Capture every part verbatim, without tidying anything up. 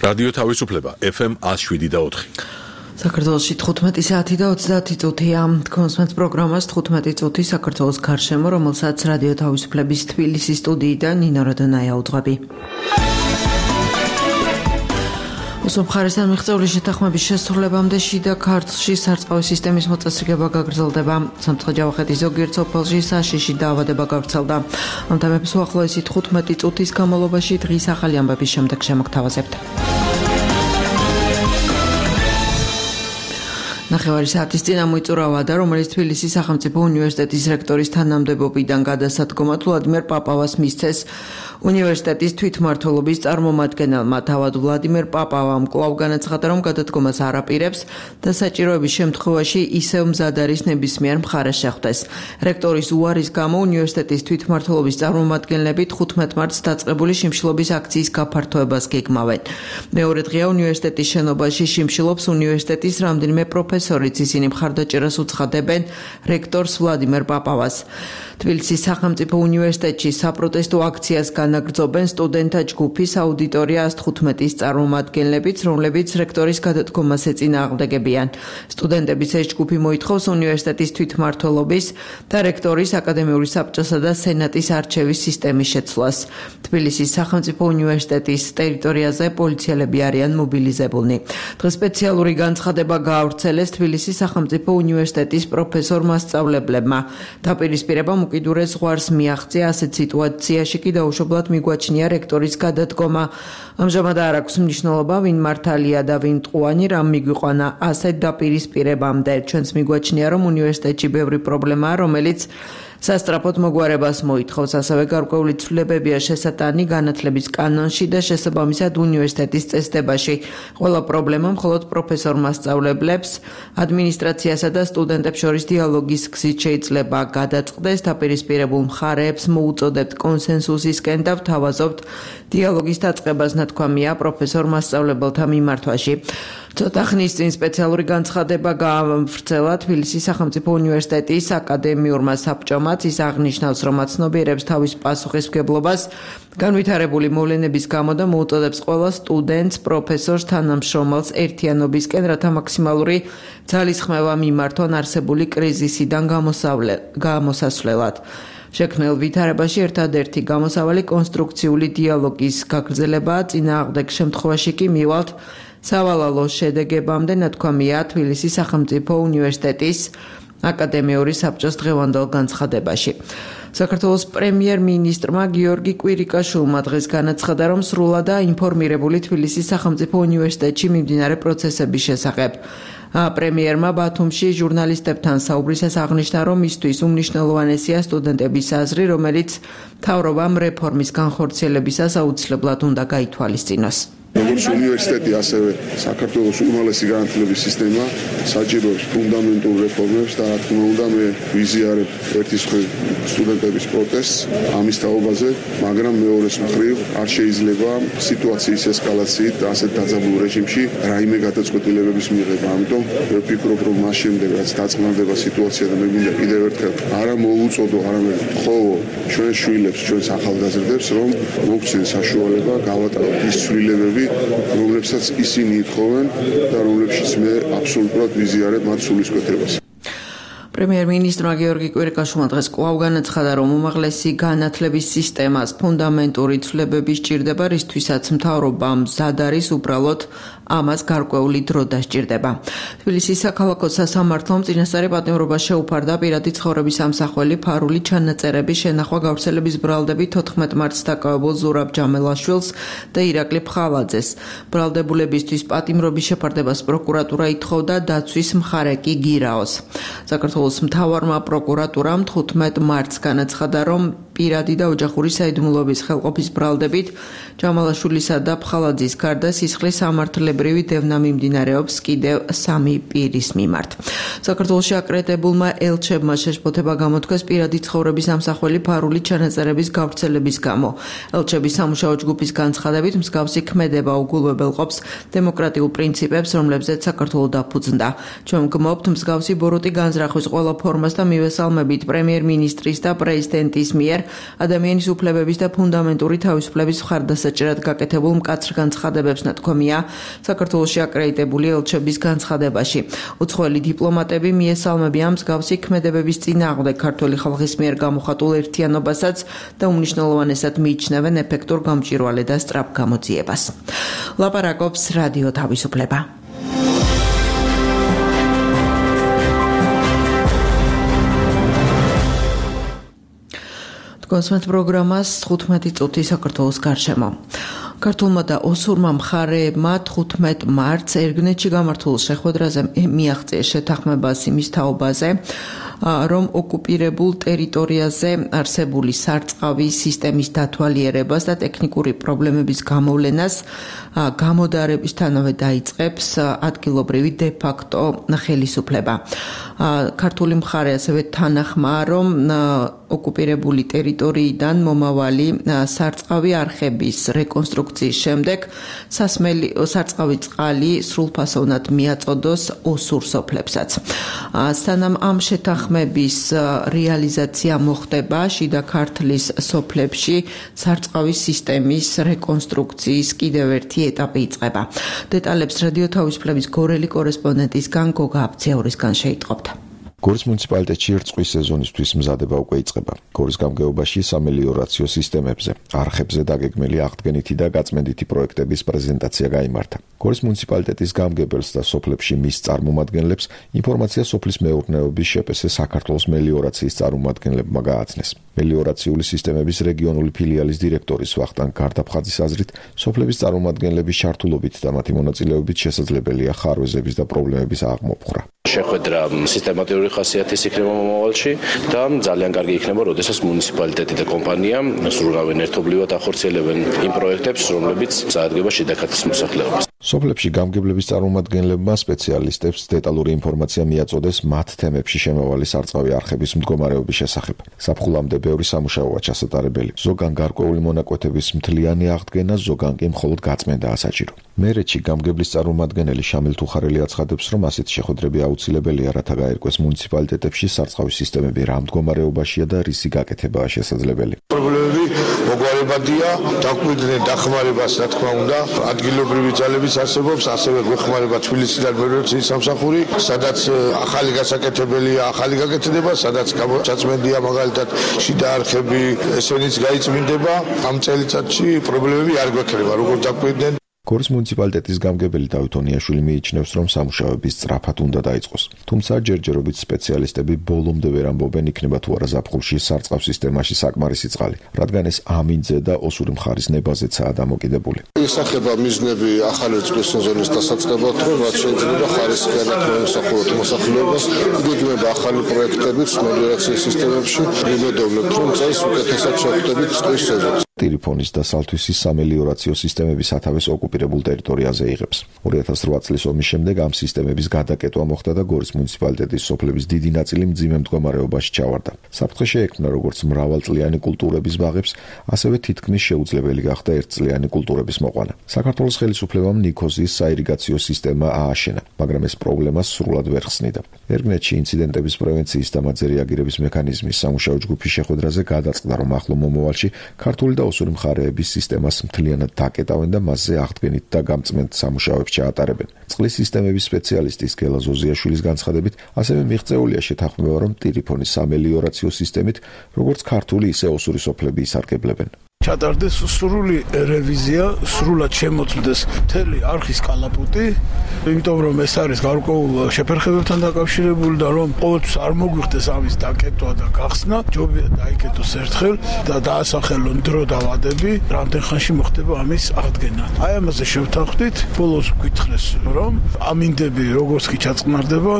რადიო თავისუფლება ეფ ემ one oh seven და four. საქართველოში თხუთმეტი საათი და ოცდაათი წუთია. კონსმენთ პროგრამას თხუთმეტი წუთი საქართველოს გარშემო, რომელსაც რადიო თავისუფლების თბილისის სტუდიიდან ნინო როდონაია უძღვები. უსამხარესთან მიღწეული შეთანხმების შესრულებამდე შიდა ქართლში სარწყავი სისტემის მოწესრიგება გაგრძელდება. სამცხე-ჯავახეთის ზოგიერთ სოფელში საშიში დაავადება გავრცელდა. ამ თემებს უახლოესი თხუთმეტი წუთის განმავლობაში დღის ახალი ამბების შემდეგ შემოგთავაზებთ. ნახევარი საათის წინ ამოიწურა ვადა, რომელიც თბილისის სახელმწიფო უნივერსიტეტის რექტორის თანამდებობიდან გადასადგომად ვლადიმერ პაპავას მისცეს უნივერსიტეტის თვითმმართველობის წარმომადგენელმა. თავად ვლადიმერ პაპავამ კვლავ განაცხადა, რომ გადადგომას არ აპირებს და საჭიროების შემთხვევაში ისევ მზად არის ნებისმიერ მხარეს შეხვდეს. რექტორის უარის გამო უნივერსიტეტის თვითმმართველობის წარმომადგენლები თხუთმეტ მარტს დაწყებული შიმშილობის აქციის გაფართოებას გეგმავენ. მეორე დღეა უნივერსიტეტის შენობაში შიმშილობს უნივერსიტეტის რამდენიმე პროფესორიც, ისინი მხარდაჭერას უცხადებენ რექტორს ვლადიმერ პაპავას. თბილისის სახელმწიფო უნივერსიტეტში საპროტესტო აქციას განაგრძობენ სტუდენტთა ჯგუფის აუდიტორია one fifteen-ის წარმომადგენლებიც, რომლებიც რექტორის გადადგომას ეწინააღმდეგებიან. სტუდენტების ეს ჯგუფი მოითხოვს უნივერსიტეტის თვითმმართველობის და რექტორის აკადემიური საბჭოსა და სენატის არჩევის სისტემის შეცვლას. თბილისის სახელმწიფო უნივერსიტეტის ტერიტორიაზე პოლიციელები არიან მობილიზებულნი. დღეს სპეციალური განცხადება გაავრცელეს თბილისის სახელმწიფო უნივერსიტეტის პროფესორმა სწავლებლებმა. დაპირისპირებამ უკიდურეს ზღვარს მიაღწია, ასეთ სიტუაციაში კი დაუშვებლად მიგვაჩნია რექტორის გადადგომა. ამჟამად არ აქვს მნიშვნელობა, ვინ მართალია და ვინ მტყუანი, რამ მიგვიყვანა ასეთ დაპირისპირებამდე. ჩვენს მიგვაჩნია, რომ უნივერსიტეტში ბევრი პრობლემაა, რომელიც სასტრაფოდ მოგვარებას მოითხოვს. ასევე გარკვეული ცვლილებებია შესატანი განათლების კანონში და შესაბამისად უნივერსიტეტის წესდებაში. ყველა პრობლემა მხოლოდ პროფესორმა სწავლებლებს, ადმინისტრაციასა და სტუდენტებს შორის დიალოგის გზით შეიძლება გადაწყდეს. დაპირისპირებულ მხარეებს მოუწოდებთ კონსენსუსისკენ და ვთავაზობთ დიალოგის დაწყებას, ნათქვამია პროფესორმა სწავლებელთა მიმართვაში. ცოტა ხნის წინ სპეციალური განცხადება გაავრცელა თბილისის სახელმწიფო უნივერსიტეტის აკადემიურმა საბჭომაც. ის აღნიშნავს, რომ აცნობიერებს თავის პასუხისმგებლობას განვითარებული მოვლენების გამო და მოუწოდებს ყველა სტუდენტს, პროფესორს, თანამშრომელს ერთიანობისკენ, რათა მაქსიმალური ძალისხმევა მიმართონ არსებული კრიზისიდან გამოსასვლელად. შექმნილ ვითარებაში ერთადერთი გამოსავალი კონსტრუქციული დიალოგის გაგრძელებაა. წინააღმდეგ შემთხვევაში კი მივალთ სავალალო შედეგებამდე, ნათქვამია თბილისის სახელმწიფო უნივერსიტეტის აკადემიური საბჭოს დღევანდელ განცხადებაში. საქართველოს პრემიერ-მინისტრმა გიორგი კვირიკაშვილმა დღეს განაცხადა, რომ სრულადაა ინფორმირებული თბილისის სახელმწიფო უნივერსიტეტში მიმდინარე პროცესების შესახებ. პრემიერმა ბათუმში ჟურნალისტებთან საუბრისას აღნიშნა, რომ მისთვის უმნიშვნელოვანესია სტუდენტების აზრი, რომელიც მთავრობამ რეფორმის განხორციელებისას აუცილებლად უნდა გაითვალისწინოს. როგორც უნივერსიტეტი, ასევე საქართველოს უმაღლესი განათლების სისტემა საჭიროებს ფუნდამენტურ რეფორმებს და რა თქმა უნდა მე ვიზიარებ ერთის მხრივ სტუდენტების პროტესტს ამის თაობაზე, მაგრამ მეორეს მხრივ არ შეიძლება სიტუაციის ესკალაციით და ასეთ დაძაბულ რეჟიმში რაიმე გადაწყვეტილებების მიღება. ამიტომ მე ვფიქრობ, რომ მას შემდეგ რაც დაწყნარდება სიტუაცია და მე მინდა კიდევ ერთხელ არა მოუწოდო, არამედ ვთხოვო ჩვენს შვილებს, ჩვენს ახალგაზრდებს, რომ მოგცენ საშუალება გავატაროთ ის ცვლილებები, რომლებსაც ისინი ითხოვენ და რომლებშიც მე აბსოლუტურად ვიზიარებ მათ სულისკვეთებას. პრემიერ-მინისტრმა გიორგი კვირიკაშვილმა დღეს კვლავ განაცხადა, რომ უმაღლესი განათლების სისტემას ფუნდამენტური ცვლილებები სჭირდება, რისთვისაც მთავრობამ მზად არის, უბრალოდ ამას გარკვეული დრო დასჭირდება. თბილისის საქალაქო სასამართლომ წინასწარი პატიმრობა შეუფარდა პირადი ცხოვრების ამსახველი ფარული ჩანაწერების შენახვა გავრცელების ბრალდებით თოთხმეტ მარტს დაკავებულ ზურაბ ჯამელაშვილს და ირაკლი ფხალაძეს. ბრალდებულებისთვის პატიმრობის შეფარდებას პროკურატურა ითხოვდა, დაცვის მხარე კი გირაოს. საქართველოს მთავარმა პროკურატურამ თხუთმეტ მარტს განაცხადა, რომ პირადი და ოჯახური საიდუმლოების ხელყოფის ბრალდებით ჯამალაშვილისა და ფხალაძის გარდა სისხლის სამართლებრივი დევნა მიმდინარეობს კიდევ სამი პირის მიმართ. საქართველოში აკრედიტებულმა ელჩებმა შეშფოთება გამოთქვეს პირადი ცხოვრების ამსახველი ფარული ჩანაწერების გავრცელების გამო. ელჩების სამუშაო ჯგუფის განცხადებით მსგავსი ქმედება უგულვებელყოფს დემოკრატიულ პრინციპებს, რომლებზეც საქართველო დაფუძნდა. ჩვენ ვგმობთ მსგავსი ბოროტი განზრახვის ყველა ფორმას და მივესალმებით პრემიერ-მინისტრის და პრეზიდენტის მიერ ადამიანის უფლებების და ფუნდამენტური თავისუფლების მხარდასაჭერად გაკეთებულ მკაცრ განცხადებებს ნათქვამია საქართველოში აკრედიტებული ელჩების განცხადებაში. უცხოელი დიპლომატები მიესალმებიან მსგავსი ქმედებების წინააღმდეგ ქართული ხალხის მიერ გამოხატულ ერთიანობასაც და უმნიშვნელოვანესად მიიჩნევენ ეფექტურ გამჭვირვალე და სწრაფ გამოძიებას. ლაპარაკობს რადიო თავისუფლება. კონსმეთ პროგრამას თხუთმეტი წუთი საქართველოს გარშემო. ქართულმა და ოსურმა მხარეებმა თხუთმეტ მარტს ერგნეთში გამართულ შეხვედრაზე მიაღწიეს შეთანხმებას იმის თაობაზე, რომ ოკუპირებულ ტერიტორიაზე არსებული სარწყავი სისტემის დათვალიერებას და ტექნიკური პრობლემების გამოვლენას გამოდარებისთანავე დაიწყებს ადგილობრივი დე-ფაქტო ხელისუფლება. ქართული მხარე ასევე თანახმაა, რომ ოკუპირებული ტერიტორიიდან მომავალი სარწყავი არხების რეკონსტრუქციის შემდეგ სასმელი სარწყავი წყალი სრულფასოვნად მიაწოდოს ოსურ სოფლებსაც. სანამ ამ შეთანხმების რეალიზაცია მოხდება, შიდა ქართლის სოფლებში სარწყავის სისტემის რეკონსტრუქციის კიდევ ერთი ეტაპი იწყება. დეტალებს რადიო თავისუფლების გორელი კორესპონდენტისგან გოგა აბციაურისგან შეიტყობთ. გორის მუნიციპალიტეტში რწყვის სეზონისთვის მზადება უკვე იწყება. გორის გამგეობაში სამელიორაციო სისტემებზე, არხებზე დაგეგმილი აღდგენითი და გაწმენდითი პროექტების პრეზენტაცია გაიმართა. გორის მუნიციპალიტეტის გამგებელს და სოფლებში მის წარმომადგენლებს ინფორმაცია სოფლის მეურნეობის შეპესე საქართველოს მელიორაციის წარმომადგენლებმა გააცნეს. მელიორაციული სისტემების რეგიონული ფილიალის დირექტორის ვახტანგ გარდაფხაძის აზრით, სოფლების წარმომადგენლების ჩართულობით და მათი მონაწილეობით შესაძლებელია ხარვეზების და პრობლემების აღმოფხვრა. შეხვედრა სისტემატიური ხასიათის იქნება მომავალში და ძალიან კარგი იქნება, როდესაც მუნიციპალიტეტი და კომპანია სრულავენ ერთობლივად ახორციელებენ იმ პროექტებს, რომლებიც წარადგება შიდა ქართლის მოსახლეობას. სოფლებში გამგებლების წარმომადგენლებმა სპეციალისტებს დეტალური ინფორმაცია მიაწოდეს მათ თემებში შემავალი სარწყავი არხების მდგომარეობის შესახებ. საფხულამდე ბევრი სამუშაოა ჩასატარებელი. ზოგან გარკვეული მონაკვეთების მთლიანი აღდგენა, ზოგან კი მხოლოდ გაწმენდაა საჭირო. მერეთში გამგებლის წარმომადგენელი შამილ თუხარელი აცხადებს, რომ ასეთი შეხვედრები აუცილებელია, რათა გაერკვეს მუნიციპალიტეტებში სარწყავი სისტემები რა მდგომარეობაშია და რისი გაკეთებაა შესაძლებელი. პრობლემები მოგვარებადია, დაგვიდნენ დახმარებას, რა თქმა უნდა, ადგილობრივი ძალების არსებობს, ასევე გვეხმარება თბილისიდან მერვეციის სამსახური, სადაც ახალი გასაკეთებელია, ახალი გაკეთდება, სადაც ჩაწმენდია მაგალითად შიდა არხები, ესენიც გაიწმინდება. ამ წელიწადში პრობლემები არ გვექნება, როგორც დაგვიდნენ. გორის მუნიციპალიტეტის გამგებელი დავით ონიაშვილი მიიჩნევს, რომ სამუშაოები სწრაფად უნდა დაიწყოს. თუმცა ჯერჯერობით სპეციალისტები ბოლომდე ვერ ამბობენ, იქნება თუ არა ზაფხულში სარწყავ სისტემაში საკმარისი წყალი, რადგან ეს ამინძე და ოსური მხარის ნებაზეცაა დამოკიდებული. ისახება მიზნები ახალი რწყვის სეზონის დასაწყებად, რომ რაც შეიძლება ხარისხიანად მოემსახუროთ მოსახლეობას, იგეგმება ახალი პროექტებიც მელიორაციის სისტემებში. ვიმედოვნებთ, რომ წელს უკეთესად შევხვდებით რწყვის სეზონს. ტირიფონის და სალთვისის სამელიორაციო სისტემები სათავეს ოკუპირებულ ტერიტორიაზე იღებს. ორი ათას რვა წლის ომის შემდეგ ამ სისტემების გადაკეტვა მოხდა და გორის მუნიციპალიტეტის სოფლების დიდი ნაწილი მძიმე მდგომარეობაში ჩავარდა. საფრთხე შეექმნა როგორც მრავალწლიანი კულტურების ბაღებს, ასევე თითქმის შეუძლებელი გახდა ერთწლიანი კულტურების მოყვანა. საქართველოს ხელისუფლებამ ნიქოზის საირიგაციო სისტემა ააშენა, მაგრამ ეს პრობლემა სრულად ვერ ხსნიდა. ერგნეთში ინციდენტების პრევენციის და მათზე რეაგირების მექანიზმის სამუშაო ჯგუფის შეხვედრაზე გადაწყდა, რომ ახლო მომავალში ქართული და ოსური მხარეების სისტემას მთლიანად დაკეტავენ და მასზე აღდგენით და გამწმენთ სამუშაოებს ჩაატარებენ. წყლის სისტემების სპეციალისტის გელა ზოზიაშვილის განცხადებით, ასევე მიღწეულია შეთანხმება, რომ ტირიფონის სამელიორაციო სისტემით როგორც ქართული, ისე ოსური სოფლები ისარგებლებენ. ჩატარდეს სრული რევიზია, სრულად შემოწმდეს მთელი არხის კალაპოტი, იმიტომ რომ ეს არის გარკვეულ შეფერხებებთან დაკავშირებული და რომ ყოველთვის არ მოგვიხდეს ამის დაკეტვა და გახსნა, ჯობია დაიკეტოს ერთხელ და დაასახელონ დრო და ვადები, რამდენ ხანში მოხდება ამის აღდგენა. აი ამაზე შევთანხმდით, ბოლოს გითხრეს, რომ ამინდები როგორც კი ჩაწყნარდება,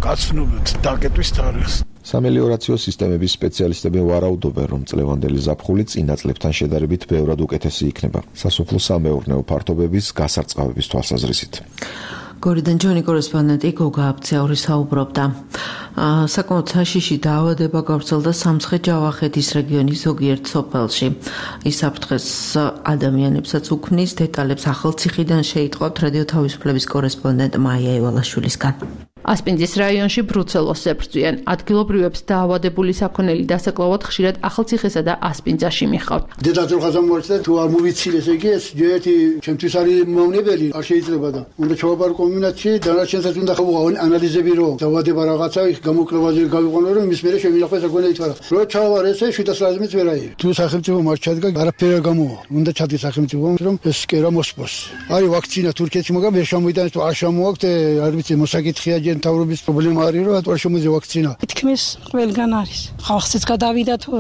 გაცნობთ დაკეტვის თარიღს. სამელიორაციო სისტემების სპეციალისტები ვარაუდობენ, რომ წლევანდელი ზაფხული წინა წლებთან შედარებით ბევრად უკეთესი იქნება. სასოფლო სამეურნეო ფართობების გასარწყავების თვალსაზრისით. გორიდან ჯონი კორესპონდენტი გოგა აბციაური საუბრობდა. საკმაოდ საშიში დაავადება გავრცელდა სამცხე-ჯავახეთის რეგიონის ზოგიერთ სოფელში. ის საფრთხეს ადამიანებსაც უქმნის, დეტალებს ახალციხიდან შეიტყობთ რადიო თავისუფლების კორესპონდენტ მაია ევალაშვილისგან. ასპინძის რაიონში ბრუცელოზს ებრძვიან. ადგილობრივებს დაავადებული საქონელი დასაკლავად ხშირად ახალციხესა და ასპინძაში მიხავთ. დედაც რო ხაზამოერთა თუ არ მოვიცილ ესე იგი ეს ერთი ჩემთვის არის მავნებელი არ შეიძლება და უნდა ჩავაბარო კომბინაციაში დანარჩენსაც უნდა ხავო ანალიზები რო დაავადება რაღაცა იქ გამოკლებაზე გავიყვანო რომ იმის მერე შევინახო საქონელი თვარა. რო ჩავარ ესე შვიდას რაზმიც ვერ აიღე. თუ სახელმწიფო არ ჩადგა არაფერი არ გამოვა. უნდა ჩადგეს სახელმწიფო რომ ეს კერა მოსპოს. არის ვაქცინა თურქეთში მაგრამ ვერ შემოიტანეს თუ არ შემოაქვთ არ ვიცი მოსაკითხია ჯერ მთავრობის პრობლემა არის რომ ატوار შემოზე ვაქცინა. თქმის ყველგან არის. ხალხიც გადავიდა თუ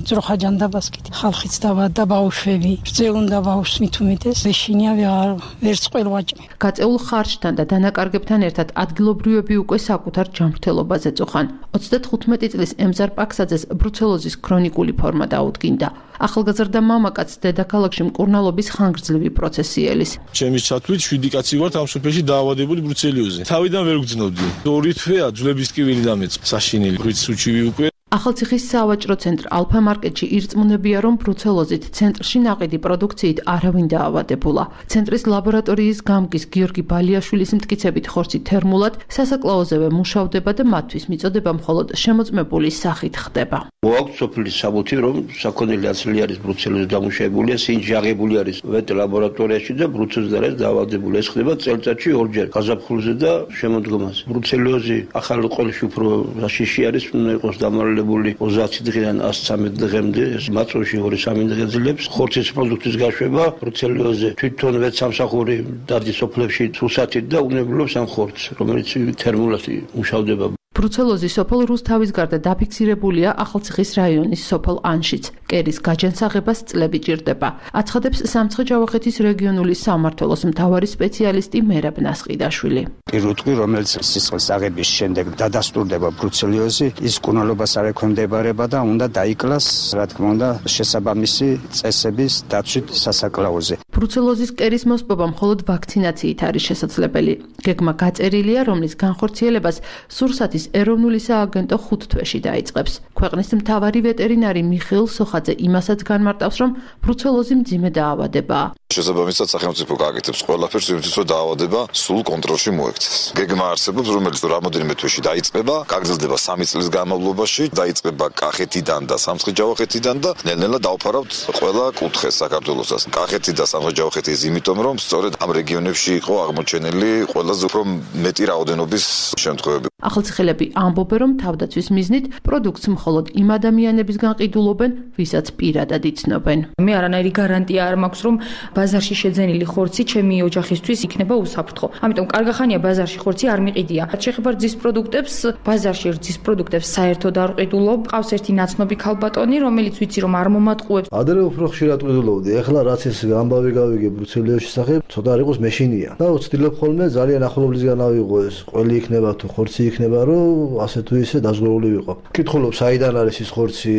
ძროხა ჯანდაბას კიდე. ხალხიც დავადა ბავშვები. რძეუნდა ბავშვს მithumetes ეშინია ვერ ვერც ყველვაჭმე. გაწეულ ხარჯთან და დანაკარგებთან ერთად ადგილობრივები უკვე საკუთარ ჯანმრთელობაზე წუხან. ოცდათხუთმეტი წლის ემზარ პაქსაძეს ბრუცელოზის ქრონიკული ფორმა დაუდგინდა. ახალგაზრდა მამაკაც დედაქალაქში მკურნალობის ხანგრძლივი პროცესი ელის. ჩემის ჩათვლით შვიდი კაცი ვართ ამ სოფელში დაავადებული ბრუცელიოზზე. თავიდან ვერ ვგრძნობდი. ორი თვეა ძვლების ტკივილი დამეწყ. საშინელი ღვიც სუჩივი უკვე. ახალციხის სავაჭრო ცენტრ ალფა მარკეტში ირწმუნებია, რომ ბრუცელოზით ცენტრში ნაყიდი პროდუქციით არავინ დაავადებულა. ცენტრის ლაბორატორიის გამგის გიორგი ბალიაშვილის მტკიცებით ხორცი თერმულად სასაკლაოზევე მუშავდება და მათთვის მიწოდება მხოლოდ შემოწმებული სახით ხდება. მოაქვს სოფლის საბუთი, რომ საქონელი აცლი არის ბრუცელოზი დამუშავებულია, სინჯი აღებული არის ვეტ ლაბორატორიაში და ბრუცელოზი არის დაავადებული. ეს ხდება წელიწადში ორჯერ გაზაფხულზე და შემოდგომაზე. ბრუცელოზი ახალ ყოლში უფრო რაშიში არის, უნდა იყოს დამალ ოცდაათი დღიდან ასი ცხრამეტ დღემდე მაწვევში ორი სამი დღე ძლებს ხორცის პროდუქტის გაშვება ბრუცელიოზზე თვითონ ვეცამსახური დადის სოფლებში სუსათით და უნებლობს ამ ხორცს რომელიც თერმულად მუშავდება. ბრუცელოზი სოფელ რუსთავის გარდა დაფიქსირებულია ახალციხის რაიონის სოფელ ანშიც. კერის გაჯანსაღებას წლები ჭირდება. აცხადებს სამცხე-ჯავახეთის რეგიონული სამმართველოს მთავარი სპეციალისტი მერაბ ნასყიდაშვილი. პირუტყვი, რომელიც სისხლის აღების შემდეგ დადასტურდება ბრუცელიოზი, ის მკურნალობას არ ექვემდებარება და უნდა დაიკლას, რა თქმა უნდა, შესაბამისი წესების დაცვით სასაკლაოზე. ბრუცელოზის კერის მოსპობა მხოლოდ ვაქცინაციით არის შესაძლებელი. გეგმა გაწერილია, რომლის განხორციელებას სურსათის ეროვნული სააგენტო ხუთ თვეში დაიწყებს. ქვეყნის მთავარი ვეტერინარი მიხეილ სოხაძე იმასაც განმარტავს, რომ ბრუცელოზი მძიმე დაავადებაა. შესაბამისად სახელმწიფო გააკეთებს ყველაფერს იმისთვის, რომ დაავადება სულ კონტროლში მოექცეს. გეგმა არსებობს, რომელიც რამოდენიმე თვეში დაიწყება, გაგრძელდება სამი წლის განმავლობაში, დაიწყება კახეთიდან და სამცხე-ჯავახეთიდან და ნელ-ნელა დავფარავთ ყველა კუთხეს საქართველოსაც. კახეთი და სამცხე-ჯავახეთი ის იმიტომ, რომ სწორედ ამ რეგიონებში იყო აღმოჩენილი ყველაზე უფრო მეტი რაოდენობის შემთხვევები. ახალციხელები ამბობენ, რომ თავდაცვის მიზნით პროდუქტს მხოლოდ იმ ადამიანებისგან ყიდულობენ, ვისაც პირადად იცნობენ. მე არანაირი გარანტია არ მაქვს, რომ ბაზარში შეძენილი ხორცი ჩემი ოჯახისთვის იქნება უსაფრთხო. ამიტომ კარგახანია ბაზარში ხორცი არ მიყიდია. შეხება რძის პროდუქტებს, ბაზარში რძის პროდუქტებს საერთოდ არ ყიდულობ. ყავს ერთი ნაცნობი ქალბატონი, რომელიც ვიცი რომ არ მომატყუებს. ადრე უფრო ხშირად ყიდულობდი. ეხლა რაც ეს ამბავი გავიგე ბრუცელიოზის შესახებ, ცოტა არ იყოს მეშინია. და ვცდილობ ხოლმე ძალიან ახლობლისგან ავიღო ეს ყველი იქნება თუ ხორცი იქნება, რომ ასე თუ ისე დაზღვეული ვიყო. კითხულობ, საიდან არის ის ხორცი,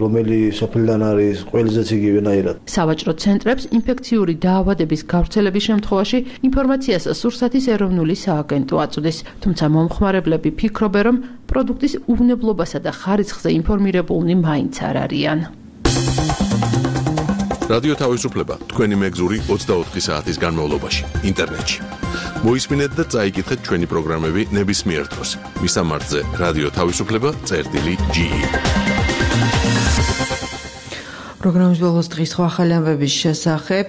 რომელი სოფლიდან არის, ყველზეც იგივენაირად. სავაჭრო ცენტრებს ინფექციური დაავადების გავრცელების შემთხვევაში ინფორმაციას სურსათის ეროვნული სააგენტო აწვდის, თუმცა მომხმარებლები ფიქრობენ, რომ პროდუქტის უვნებლობასა და ხარისხზე ინფორმირებულნი მაინც არ არიან. რადიო თავისუფლება თქვენი მეგზური ოცდაოთხი საათის განმავლობაში ინტერნეტში. მოისმინეთ და წაიკითხეთ ჩვენი პროგრამები ნებისმიერ დროს. მისამართზე რადიო თავისუფლება წერტილი ჯი. პროგრამის ბოლოს დღის სხვა ახალი ამბების შესახებ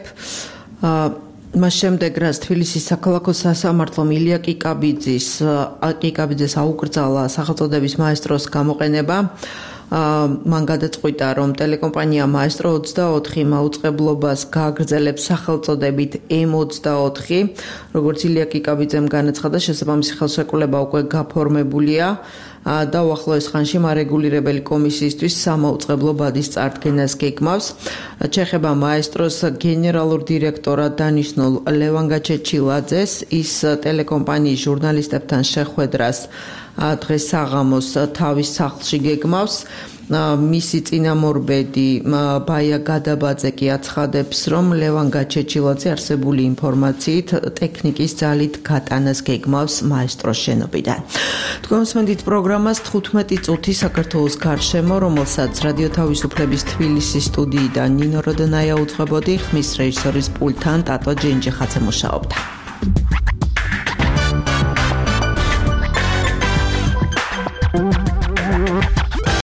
მას შემდეგ რაც თბილისის საქალაქო სასამართლომ ილია კიკაბიძის კიკაბიძეს აუკრძალა სახელწოდების მაესტროს გამოყენება, მან გადაწყვიტა, რომ ტელეკომპანია მაესტრო ოცდაოთხი მაუწყებლობას გააგრძელებს სახელწოდებით ემ ოცდაოთხი, როგორც ილია კიკაბიძემ განაცხადა, შესაბამისი ხელშეკრულება უკვე გაფორმებულია და უახლოეს ხანში მარეგულირებელი კომისიისთვის სამაუწყებლო ბადის წარდგენას გეგმავს. ჩეხება მაესტროს გენერალურ დირექტორად დანიშნულ ლევან გაჩეჩილაძეს, ის ტელეკომპანიის ჟურნალისტებთან შეხვედრას დღეს საღამოს თავის სახლში გეგმავს. მისი წინამორბედი ბაია გადაბაძე კი აცხადებს, რომ ლევან გაჩეჩილაძე არსებული ინფორმაციით ტექნიკის ძალით გატანას გეგმავს მაესტროს შენობიდან. თქვენ მოსმენთ პროგრამას თხუთმეტი წუთი საქართველოს გარშემო, რომელსაც რადიო თავისუფლების თბილისის სტუდიიდან ნინო როდონაია უძღვებოდი, ხმის რეჟისორის პულტთან ტატო ჯენჯიხაძე მუშაობდა.